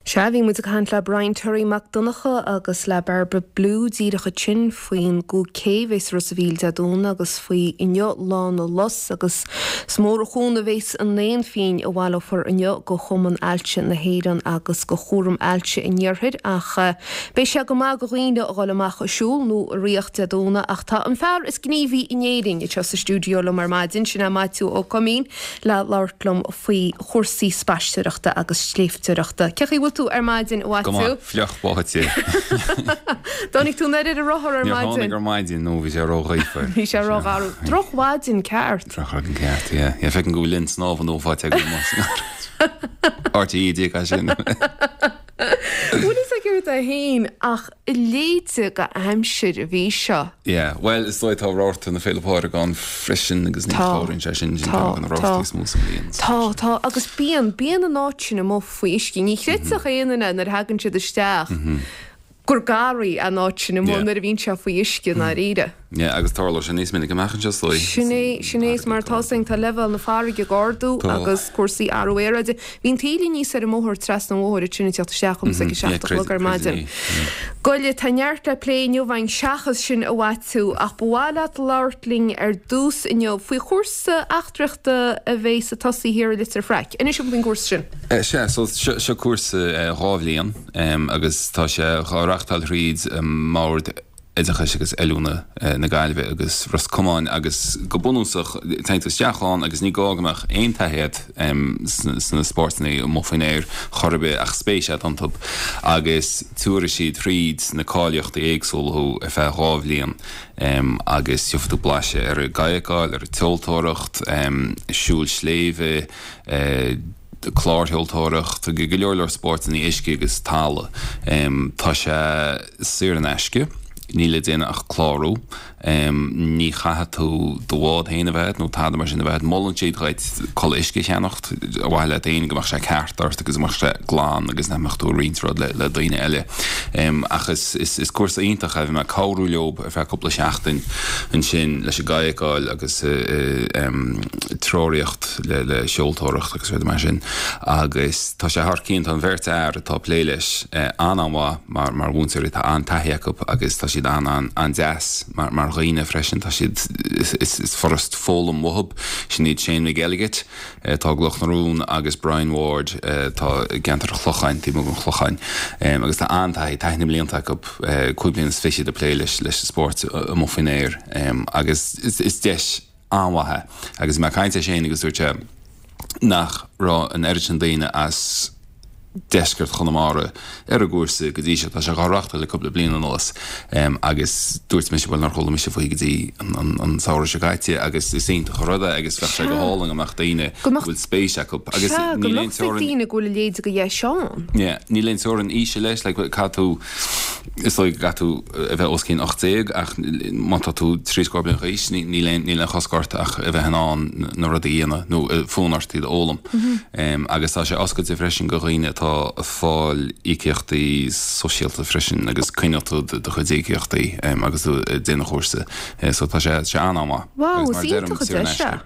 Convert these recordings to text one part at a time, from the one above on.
Sea, bhí muid ag caint le Brian Toirí Mac Donncha agus le Bairbre Bloom díreach ansin faoin gCúig K a bheas i Ros a' Mhíl Dé Domhnaigh agus faoi inniu Lá na Lus agus is mór an chúnamh a bheas in aon phingin a bhaileofar inniu go Chumann Ailse na hÉireann agus go Chúram Ailse an Iarthair ach beidh sé go maith go dhaoine a dhul amach ag siúl nó ag ritheacht Dé Domhnaigh ach tá an fear is gníomhaí in Éirinn anseo sa stiúideo liom ar maidin, sin é Maitiú Ó Coimín le labhairt liom faoi chúrsaí spaisteoireachta agus sléibhteoireachta. Cén chaoi a bhfuil tú ar maidin, a Go Mhaitiú? maith, fliuch báite. Dtáinig tú anoir ar an rothar ar Níor maidin? tháinig ar maidin, nó bhí sé ró-ghaofar. Bhí sé ró-gharbh. Drochmhaidin ceart. Drochmhaidin ceart, yeah. Yeah, feicim go bhfuil linn snámha nua faighte agam amuigh sa nGarraí. RTÉ díreach as sin. Bhfuil fhios ag céard é féin ach a leithéide de aimsir a bhí seo. Yeah, bhuel is dóigh tá rabharta na Féile Pádraig ann freisin agus ní Tá, chabhraíonn sé sin, sin tá, ceann de na tá. rabhartaí is mó sa mbliain. Tá, tá, agus bíonn, bíonn an áit sin amuigh faoi uisce. Ní chreidfeadh aon duine nuair a thagann siad isteach gur garraí an áit sin amuigh Yeah. nuair a bhíonn sé faoi uisce i ndáiríre. Yeah, agus tarlóidh sé níos minice amach anseo is dóigh. Sin é, sin é, is mar atá 's againn, tá leibhéal na farraige ag ardú Tá. agus cúrsaí athrú aeráide. Bhí an taoille aníos ar an mbóthar trasna an bhóthair ansin ag teacht isteach chugam ag a Yeah, 7 a chlog ar creid maidin. é, yeah. Goile, tá neart le plé inniu againn seachas sin a Mhaitiú, ach ba mhaith leat labhairt linn ar dtús inniu faoi chúrsa eachtraíochta a bheas ag tosaí thiar i Leitir Fraic. Inis dom faoin gcúrsa sin. Sea, so seo cúrsa 2 bhliain agus tá sé dhá reachtáil thríd an mBord Oideachais agus Oiliúna na Gaillimhe agus Ros Comáin agus go bunúsach téann tú isteach ann agus ní gá go mbeadh aon taithí agat sna spórtanna amuigh faoin aer chor ar bith ach spéis agat iontu agus tabharfaidh siad thríd na cáilíochtaí éagsúla thú ar feadh 2 bhliain agus gheobhaidh tú blaiseadh ar an gcadhcáil, ar an tseoltóireacht, siúl sléibhe, clársheoltóireacht, go leor leor spórtanna uisce agus talamh. Tá sé saor in aisce, níl le déanamh ach clárú. Ní chaithfidh tú do bhád féin a bheith agat nó tada mar sin a bheith agat. Molann siad dhuit culaith uisce a cheannacht ar mhaithe leat féin go mbeadh sé ceart ort agus go mbeadh sé glan agus nach mbeadh tú ag roinnt rud le daoine eile. Ach is cúrsa iontach é. Bhí mé ag cabhrú leo ar feadh cúpla seachtain ansin leis an gcadhcáil agus treoraíocht. le seoltóireacht agus rudaí mar sin agus tá sé thar cionn, tá an bheirt fhear atá ag plé leis an-an-mhaith mar mar mhúinteoirí, tá an-taithí acu agus tá siad an-an-an-deas mar mar dhaoine freisin, tá siad is is furast foghlaim uathub, sin iad Shane McElligott atá i gCloch na Rún agus Brian Ward atá i gceantar an Chlocháin, taobh amuigh den Chlocháin agus tá an-taithí, taithí na mblianta acu, 5 bliana is fichead ag plé leis leis an spórt amuigh faoin aer agus is is deis an-mhaith é. Agus bhí mé ag caint le Shane agus dúirt sé nach raibh an oiread sin daoine as deisceart Chonamara ar an gcúrsa go dtí seo. Tá sé dhá reáchtáil le cúpla bliain anuas agus dúirt mise, bhuel nár chuala mise faoi go dtí an samhradh seo caite agus is iontach an rud é agus bheadh sé go hálainn go mbeadh daoine Go go mbeadh bhfuil spéis acu agus Sea, go níl aon mbeadh teorainn daoine go bhfuil a leithéid de dheis ann. Yeah, níl aon teorainn aoise leis, like caithfidh tú Is dóigh go gcaithfidh tú a bheith os cionn 18 ach má tá tú trí scór bliain d'aois níl aon níl aon chosc ort ach a bheith in ann na rudaí a dhéanamh nó fonn ort iad a fhoghlaim. Agus tá sé oscailte freisin go dhaoine atá ag fáil íocaíochtaí sóisialta freisin agus coinneoidh tú do chuid íocaíochtaí agus tú ag déanamh an chúrsa. So tá sé sé an-an-mhaith. Wow, Agus is mar a deirim, iontach an saor in deis é. aisce.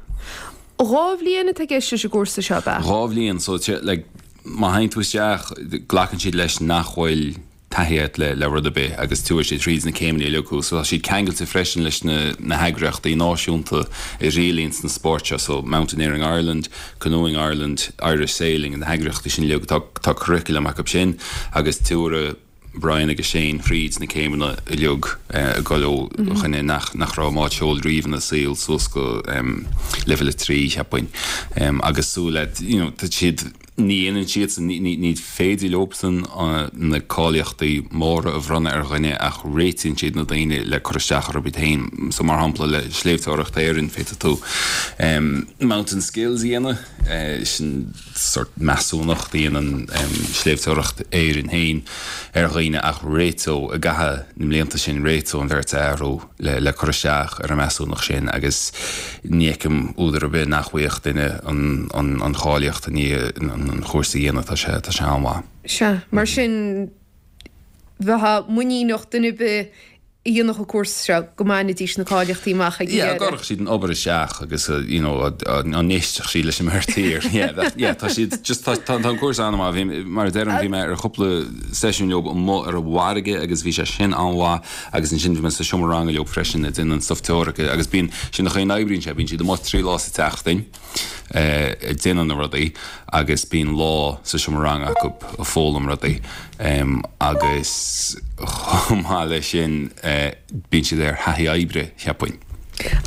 2 bhliain atá i gceist leis an gcúrsa seo, ab ea? 2 bhliain, so like má théann tú isteach, glacann siad leis nach bhfuil taithí agat le rud ar bith agus tabharfaidh siad thríd na céimeanna uilig thú. So tá siad ceangailte freisin leis na na heagraíochtaí náisiúnta a rialaíonns na spóirt seo, so Mountaineering Ireland, Canoeing Ireland, Irish Sailing, na heagraíochtaí sin uilig, tá tá curriculum acu sin agus tabharfaidh Brian agus Shane thríd na céimeanna uilig ag dul ó dhuine nach nach raibh i mbád seoil riamh ina saol suas go leibhéal 3, cheapfainn. Agus súil le, you know, tá siad, ní dhéanann siadsan, ní féidir leobsan na cáilíochtaí móra a bhronnadh ar dhuine ach réitíonn siad na daoine le cur isteach orthu iad féin. So mar shampla le Sléibhteoireacht Éireann féadfaidh tú Mountain Skills a dhéanamh, sin sort measúnacht a dhéanann Sléibhteoireacht Éireann féin ar dhaoine ach réiteoidh i gcaitheamh na mblianta sin réiteoidh an bheirt fhear thú. le cur isteach ar an measúnacht sin agus ní fheicim údar ar bith nach bhfaigheadh duine an cháilíocht i ndiaidh an chúrsa a dhéanamh, tá sé tá sé an-mhaith. Sea, mar sin bheifeá muiníneach duine ar bith. a dhéanfadh an cúrsa seo go mbainfidís na cáilíochtaí amach ag an Yeah, deireadh. gcuirfeadh siad an obair isteach agus you know an n-éistfeadh siad leis an mbeirt thiar. Yeah, bheadh, yeah, tá siad just tá tá an cúrsa an-mhaith. Bhí, mar a deirim, bhí mé ar chúpla seisiún leo amuigh ar an bhfarraige agus bhí sé sin an-mhaith agus ansin bhí mé sa seomra ranga leo freisin ag déanamh an stuff teoirice agus bíonn, sin an chaoi a n-oibríonn sé, bíonn siad amuigh 3 lá sa tseachtain. ag déanamh na rudaí agus bíonn lá sa seomra ranga acu ag foghlaim rudaí agus chomh maith leis sin bíonn siad ar thaithí oibre, cheapfainn.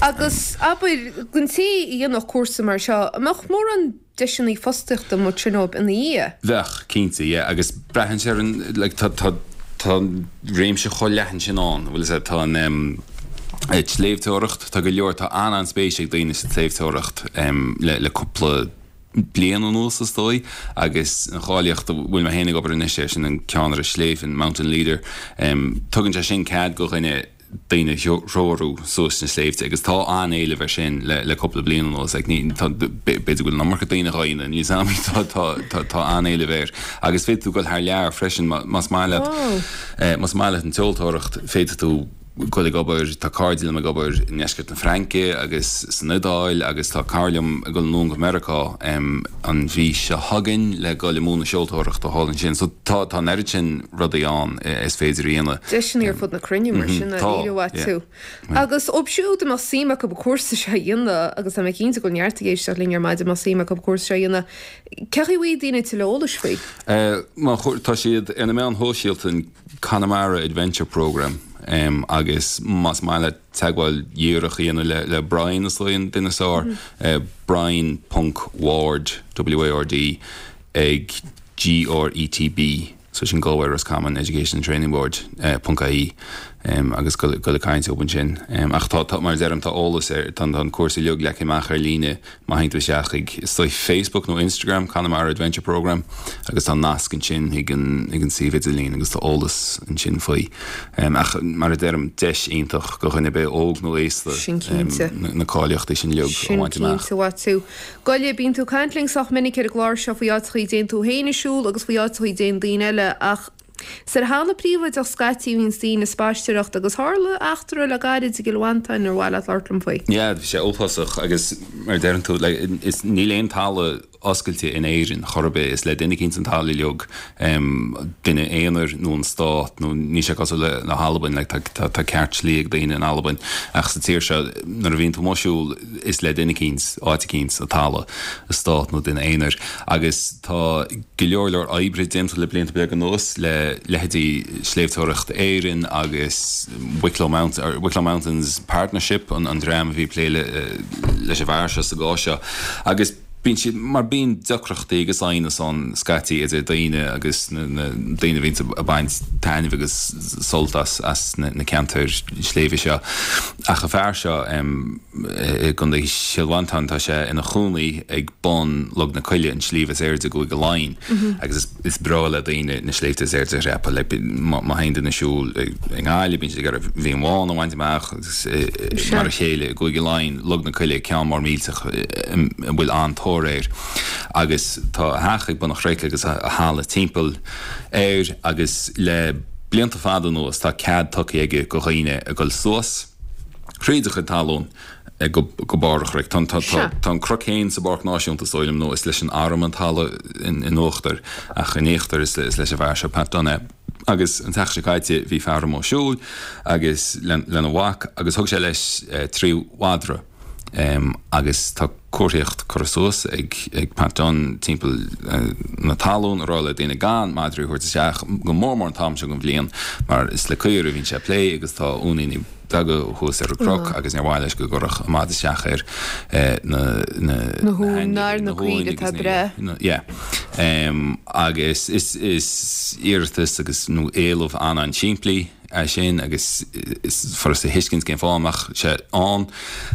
Agus abair, don té a dhéanfadh cúrsa mar seo, an mbeadh mórán deiseanna fostaíochta amuigh ansin dóibh ina dhiaidh? Bheadh, cinnte, yeah, agus braitheann sé ar an, like, tá, tá, tá réimse chomh leathan sin ann, bhfuil a fhios agat, tá an tsléibhteoireacht, tá go leor, tá an-an-spéis ag daoine sa tsléibhteoireacht le le cúpla bliain anuas is dóigh agus an cháilíocht a bhfuil mé féin ag obair anois air sin an ceannaire sléibhe, an mountain leader, tugann sé sin cead go dhuine daoine a threorú suas na sléibhte agus tá an-éileamh air sin le le cúpla bliain anuas. Like ní tá b'fhéidir go bhfuil an iomarca daoine dhá dhéanamh, níl a fhios agam tá tá tá an-éileamh air agus féadfaidh tú dul thar lear freisin más maith leat más maith leat an tseoltóireacht féadfaidh tú dul ag obair, tá cairde liom ag obair i ndeisceart na Fraince agus san Iodáil agus tá cara liom ag dul anonn go Meiriceá an mhí seo chugainn le dul ag múineadh seoltóireachta thall ansin. So tá tá an oiread sin rudaí ann is féidir a dhéanamh. Deiseanna ar fud na cruinne mar sin, dáiríre uait tú. Agus dóibh siúd a mbeadh suim acu an cúrsa seo a dhéanamh, agus tá mé cinnte go bhfuil neart ag éisteacht linn ar maidin a mbeadh suim acu an cúrsa seo a dhéanamh, cén chaoi a bhfaighidh daoine tuilleadh eolais faoi? Tá siad ar na meáin shóisialta, Connemara Adventure Programme agus más maith leat teagmháil dhíreach a dhéanamh le Brian is dóigh an duine is fearr, Brian ponc Ward, W-A-R-D, ag G-R-E-T-B, so sin Galway Roscommon Education and Training Board, ponc ie agus dul ag caint leo ansin. Ach tá, mar a deirim, tá eolas ar, tá an cúrsa uilig leagtha amach ar líne Má théann tú isteach chuig, is dóigh, Facebook nó Instagram, Connemara Adventure Programme, agus tá nasc ansin chuig an, chuig an suíomh idirlín agus tá eolas ansin faoi. Ach mar a deirim, deis iontach do dhuine ar bith, óg nó aosta, Sin cinnte. na cáilíochtaí sin uilig a Sin bhaint amach. cinnte, Mhaitiú. Goile, bíonn tú ag caint linn sách minic ar an gclár seo faoi áiteachaí a dtéann tú féin ag siúl agus faoi áiteachaí a dtéann daoine eile ach, Is ar thalamh príobháideach scaití a bhíonns daoine ag spaisteoireacht agus tharla eachtra le gairid i gCill Mhantáin ar mhaith leat labhairt liom faoi. Yeah, bhí sé uafásach agus mar a deireann tú, like, is, níl aon talamh oscailte in Éirinn chor ar bith, is le duine eicínt an talamh uilig, duine aonair nó an stát nó níl sé cosúil le, le hAlbain, like, tá, tá, tá ceart slí ag daoine in Albain ach sa tír seo nuair a bhíonn tú amuigh ag siúl is le duine eicínt, áit eicínt, an talamh, an stát nó duine aonair agus tá go leor leor oibre déanta le blianta beaga anuas le leithéidí Sléibhteoireacht Éireann agus Wicklow Mountain, Wicklow Mountains Partnership, an dream a bhí ag plé leis an bhfear seo sa gcás seo. Agus bíonn siad, mar bíonn deacrachtaí agus aighneas ann scaití idir daoine agus na daoine a bhíonns ag baint taitneamh agus sult as na ceantair sléibhe seo. Ach an fear seo, i gContae Chill Mhantáin, tá sé ina chónaí ag bun Log na Coille, an sliabh is airde i gCúige Laighean, agus is breá le daoine na sléibhte is airde a dhreapadh. Like, má théann duine ag siúl i nGaillimh, bíonn siad ag iarraidh an Bheann Bhán a bhaint amach, agus mar a chéile i gCúige Laighean, Log na Coille, ceann mór millteach a bhfuil an-tóir air. Agus tá a theach ag bun an chnoic agus a thalamh timpeall air, agus le blianta fada anuas tá cead tugtha aige go dhaoine a dhul suas, Thríd a chuid talún go barr an chnoic. Tá an cnoc féin sa bPáirc Náisiúnta, is dóigh liom, nó is leis an arm an talamh in uachtar, ach in íochtar is leis an bhfear seo, Pat Dunne, é. Agus an tseachtain seo caite bhí fear amuigh ag siúl agus lena mhac agus thug sé leis 3 mhadra agus tá comharthaíocht curtha suas ag Pat Dunne timpeall na talún ag rá le daoine gan madraí a thabhairt isteach, go mór mór an t-am seo den bhliain mar is le caoirigh a bhíonn sé ag plé agus tá uainíní beaga thuas ar an gcnoc agus níor mhaith leis go gcuirfeadh an madra isteach ar na na huain, ar na caoirigh atá ag breith. Yeah. Agus is iarratas agus nó éileamh an-an-simplí é sin agus is furasta a thuiscint cén fáth a mbeadh sé ann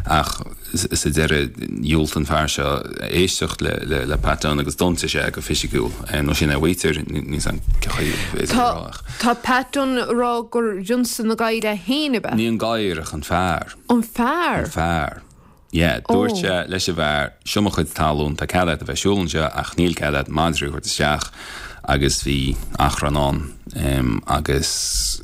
ach sa deireadh dhiúltaigh an fear seo éisteacht le Pat Dunne agus d'ionsaigh sé é go fisiciúil nó sin é a mhaítear, níl 's a'm cén chaoi a bhféadfaí a rá ach. Tá Pat Dunne ag rá gur ionsaigh an gadhar é féin, ab ea? Ní an gadhar ach an fear. An fear? An fear. Yeah, dúirt sé leis an bhfear, seo mo chuid talún, tá cead agat a bheith ag siúl anseo ach níl cead agat madraí a thabhairt isteach. Agus bhí achrann ann agus.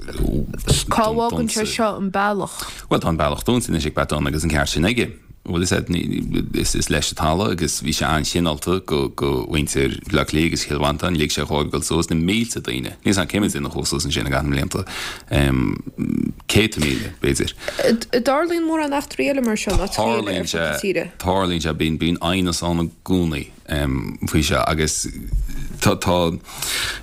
Cá bhfágann sé seo an bealach? Bhuel, tá an bealach dúnta anois ag Pat Dunne agus an ceart sin aige. Bhuel, is ea, is leis an talamh agus bhí sé an-chineálta go mhuintir Bhaile Átha Cliath agus Chill Mhantáin, lig sé dhóibh dul suas, na mílte daoine, níl 's agam cé mhéad duine a chuaigh suas ansin i gcaitheamh na mblianta, 100,000, b'fhéidir. Tarlaíonn mórán eachtraí eile mar seo in áiteacha eile ar fud na tíre. Tarlaíonn sé, bíonn aighneas ann i gcónaí. faoi seo agus tá, tá,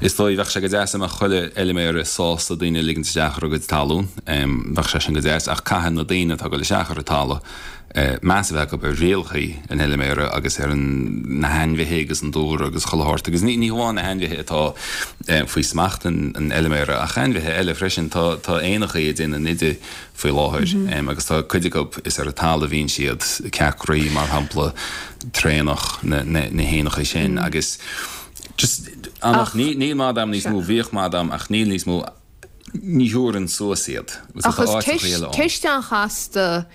is dóigh, bheadh sé go deas dá mbeadh chuile fheilméara sásta daoine a ligint isteach ar a gcuid talún, bheadh sé sin go deas ach caithfidh na daoine atá ag dul isteach ar an talamh meas a bheith acu ar rialacha an fheilméara agus ar an, na hainmhithe agus an dúlra agus chuile shórt agus ní, ní hamháin na hainmhithe atá faoi smacht an, an fheilméara ach ainmhithe eile freisin, tá, tá éanachaí ag déanamh nide faoi láthair agus tá cuid acu, is ar an talamh a bhíonn siad, ceacraí mar shampla, traonach, na héanacha sin agus just ach níl mada a'm níos mó, bhíodh mada a'm ach níl níos mó, ní thabharfainn suas iad. Ach is ceist an-chasta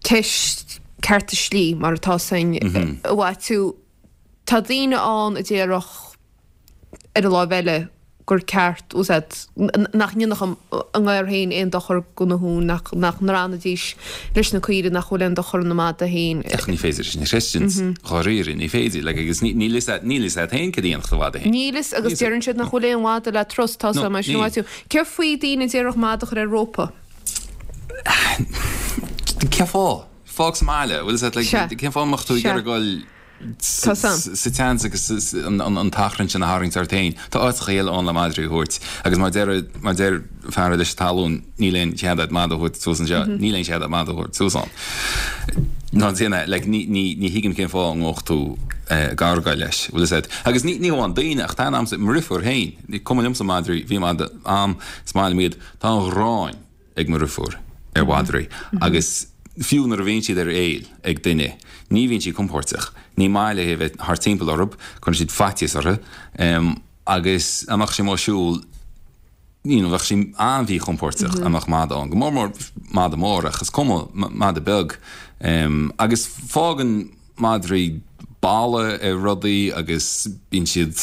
ceist cearta slí mar atá san a Mhaitiú. Tá daoine ann a déarfadh ar an láimh eile, gur ceart, úsáid, nach ndéanfadh a ngadhair féin aon dochar do na huain, nach ndrannfaidís leis na caoirigh, nach bhfuil aon dochar ina mada féin. Ach ní féidir sin a chreidint, dháiríre, ní féidir. Like, agus níl fhios a't, níl fhios a't féin cad a dhéanfadh do mhada féin. Níl fhios, agus deireann siad nach bhfuil aon mhada le trus, tá 's mar sin a Mhaitiú. Céard faoi daoine a déarfadh mada a chur ar rópa? Cén fáth? Fág sa mbaile, bhfuil fhios a't, like, cén fáth a mbeadh tú ag iarraidh dul sa tseans agus an t-achrann sin a tharraingt ort féin. Tá áiteacha eile ann le madraí a thabhairt agus má deir má deir fear leis an talún níl aon chead agat mada a thabhairt suas anseo, níl aon chead agat mada a thabhairt suas ann. Ná déan é, like, ní ní ní thuigim cén fáth a ngabhfadh tú ag argáil leis, bhfuil fhios agat. Agus ní ní hamháin daoine ach tá a'msa, mo dheirfiúr féin, cuma liomsa madraí, bhí mada a'm, is maith liom iad, tá an ghráin. ag mo dheirfiúr ar mhadraí agus fiú nuair a bhíonn siad ar éill ag duine, ní bhíonn sí compóirteach. Ní maith léi a bheith thart timpeall orthu, cuireann siad faitíos uirthi agus dá mbeadh sí amuigh ag siúl, you know, bheadh sí an-mhíchompóirteach dá mbeadh mada ann, go mór mór mada mór ach is cuma, mada beag. Agus fágann. madraí boladh ar rudaí agus bíonn siad,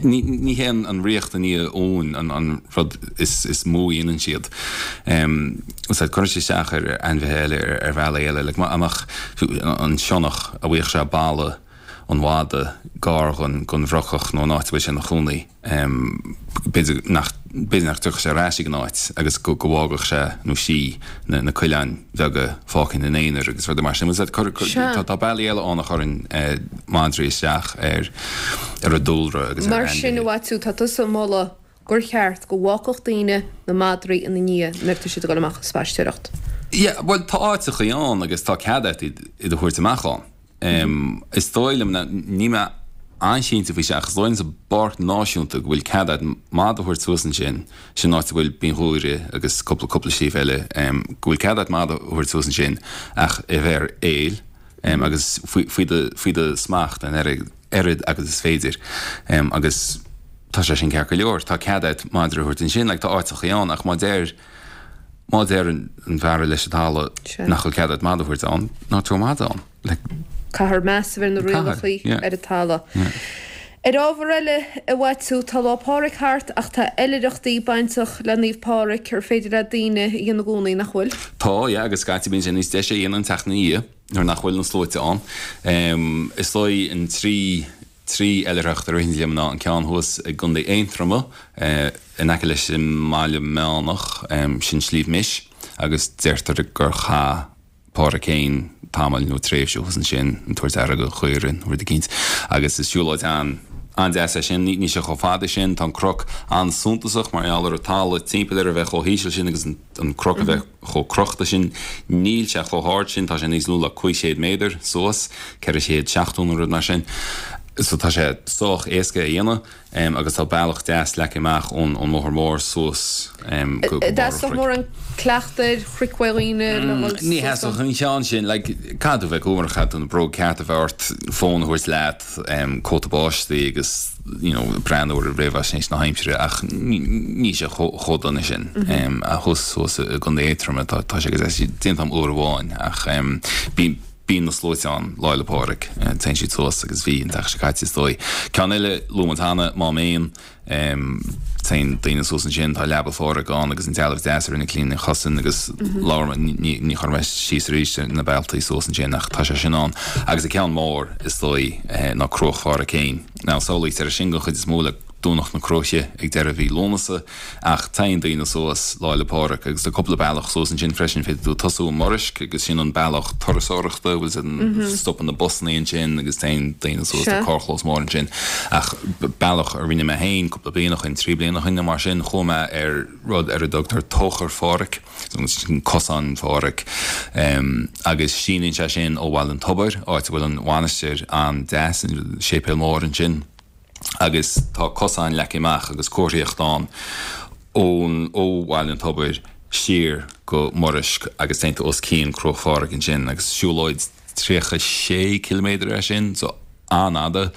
ní hé an ríocht i ndiaidh uain an rud is mó a dhéanann siad. Cuireann siad isteach ar ainmhithe eile ar bhealaí eile, like dá mbeadh an sionnach a bhfaigheadh sé boladh an mhada gar don bhrocach nó an áit a bhfuil sé ina chónaí. B'fhéidir nach, b'fhéidir nach dtiocfadh sé ar ais ag an áit agus go, go bhfágfadh sé nó sí na, na coileáin bheaga fágtha ina n-aonar agus rudaí mar sin. Bhfuil 's agat, Sea. tá, tá bealaí eile ann a chuireann madraí isteach ar, ar an dúlra agus ar Mar sin, a ainmhithe. Mhaitiú, tá tusa ag moladh gur cheart go bhfágfadh daoine na madraí ina ndiaidh nuair atá siad ag dul amach ag spaisteoireacht. Yeah, bhuel, tá áiteachaí ann agus tá cead agat iad, iad a thabhairt amach ann. Is dóigh liom, níl mé an-chinnte faoi seo, ach is dóigh liom sa bPáirc Náisiúnta go bhfuil cead agat mada a thabhairt suas ansin, sin an áit a bhfuil Binn Ghuaire agus cúpla cúpla sliabh eile, go bhfuil cead agat mada a thabhairt suas ansin ach a bheith ar éill agus faoi do faoi do smacht an oiread agus is féidir agus tá sé sin ceart go leor. Tá cead agat madra a thabhairt ansin, like tá áiteachaí ann ach má deir Má deir an fear leis an talamh nach bhfuil cead agat mada a thabhairt ann, ná tabhair mada ann. Like. Caithfear meas a bheith ar na rialacha ar an talamh. Ar ábhar eile, a Mhaitiú, tá Lá Pádraig thart ach tá oilithreachtaí bainteach le Naomh Pádraig ar féidir le daoine a dhéanamh i gcónaí, nach bhfuil? Tá, yeah, agus scaití bíonn sé níos deise a dhéanamh an tseachtain ina dhiaidh nuair nach bhfuil na sluaite ann. Is dóigh an trí 3 oilithreacht a ritheann liom ná an ceann thuas i gContae Aontroma, in aice leis an mBaile Meánach, sin Sliabh Mis, agus deirtear gur chaith Pádraig féin tamall nó tréimhse thuas ansin, ag tabhairt aire do chaoirigh nó rud eicínt. Agus is siúlóid an-deas é sin. Níl sé chomh fada sin. Tá an cnoc an-suntasach mar gheall ar an talamh timpeall air a bheith chomh híseal sin agus an cnoc a bheith chomh crochta sin. Níl sé chomh hard sin, tá sé níos lú le 500 méadar suas, 470 nó rud mar sin. So tá sé sách éasca a dhéanamh agus tá bealach deas leagtha amach ón mbóthar mór suas go barr an chnoic. Theastódh mórán cleachtaidh ar chnoic uaidh dhaoine le dhul suas Ní theastódh an ceann sin, like, caithfidh tú bheith cúramach, caithfidh tú na bróga cearta a bheith ort, fón a thabhairt leat, cóta báistí agus you know breathnú ar réamhaisnéis na haimsire ach níl sé chomh dona sin. Thuas thuas i gContae Aontroma tá sé go deas déanta agam uair amháin ach bíonn. Bíonn na sluaite ann Lá 'le Pádraig. Téann siad suas agus bhí an tseachtain seo caite is dóigh. Ceann eile, luaigh muid cheana, Mám Éan. Téann daoine suas ansin, tá Leaba Phádraig ann agus an dealbh deas a rinne Clíona Ní Chosáin agus labhair mé, ní, ní chuirfidh mé síos arís ar na bealtaí suas ansin ach tá sé sin ann. Agus an ceann mór is dóigh ná Cruach Phádraig féin. Now samhlaítear é sin den chuid is mó le Domhnach na Cruaiche ag deireadh mhí Lúnasa. Ach téann daoine suas Lá 'le Pádraig agus tá cúpla bealach suas ansin freisin, féadfaidh tú tosú i Muraisc agus sin an bealach turasóireachta, bhfuil fhios agat, stopann na busannaí ansin agus téann daoine suas, tá carrchlós mór ansin. Ach bealach a rinne mé féin cúpla bliain ó shin, trí bliana ó shin nó mar sin, chuaigh mé ar rud ar a dtugtar Tóchar Phádraig, sin Cosán Phádraig, agus síneann sé sin ó Bhaile an Tobair, áit a bhfuil an mhainistir an-deas, an séipéal mór ansin. agus tá cosán leagtha amach agus comharthaíocht ann ón ó Bhaile an Tobair siar go Muraisc agus téann tú os cionn Cruach Phádraig ansin agus siúlóid 36 ciliméadar é sin so an-fhada.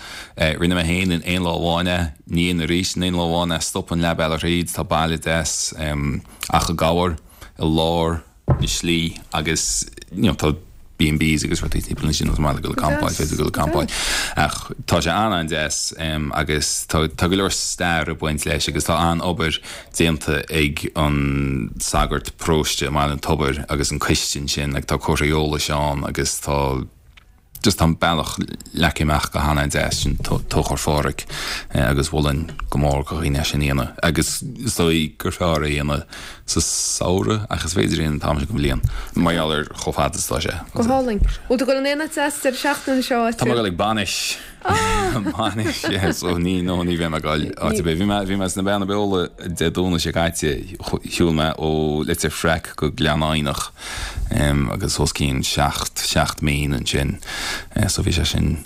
Rinne mé féin in aon lá amháin é, ní dhéanfainn arís in aon lá amháin é, stopann leath bealaigh thríd, tá baile deas Achadh Gabhair i lár na slí agus you know tá B&Bs agus rudaí timpeall ansin is maith le dul ag campáil, féidir dul ag campáil. Ach tá sé an-an-deas agus tá tá go leor stair ag baint leis agus tá an-obair déanta ag an sagart paróiste i mBaile an Tobair agus an coiste ansin like tá comharthaí eolais ann agus tá Just tá an bealach leagtha amach go han-deas, sin Tóchar Phádraig agus mholfainn go mór do dhaoine é sin a dhéanamh. Agus is dóigh gur fearr é a dhéanamh sa samhradh ach is féidir é a dhéanamh an t-am seo den bhliain mar gheall ar chomh fada is atá sé. Go hálainn. Bhfuil tú ag dul in aon áit deas deireadh seachtaine seo a Tá mé ag dul ag bainis. Bainis, yeah, so ní, no, ní bheidh mé ag dul áit ar bith. Bhí mé, bhí mé sna Beanna Beola Dé Domhnaigh seo caite, shiúil mé ó Leitir Fraic go Gleann Eidhneach. agus os cionn 7 mín ansin so bhí sé sin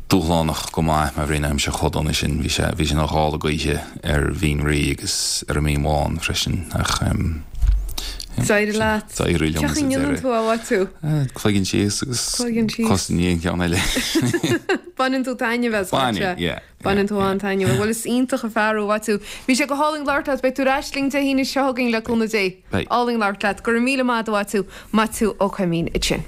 dúshlánach go maith mar bhí an aimsir chomh dona sin. Bhí sé bhí sé ina ghála gaoithe ar Bhinn Rí agus ar an mBinn Bhán freisin ach D'éirigh leat. D'éirigh liom sa deireadh. Cén chaoi a ndéanann tú é, a Mhaitiú? Cloigeann síos agus cos i ndiaidh an cheann eile. Baineann tú taitneamh as, Baineann, yeah. Baineann tú an-taitneamh. Bhuel, is iontach an fear thú, a Mhaitiú. Bhí sé go hálainn labhairt leat. Beidh tú ar ais linn Dé hAoine seo chugainn le cúnamh Dé. Beidh. Álainn labhairt leat. Go raibh míle maith agat, a Mhaitiú. Maitiú Ó Coimín ansin.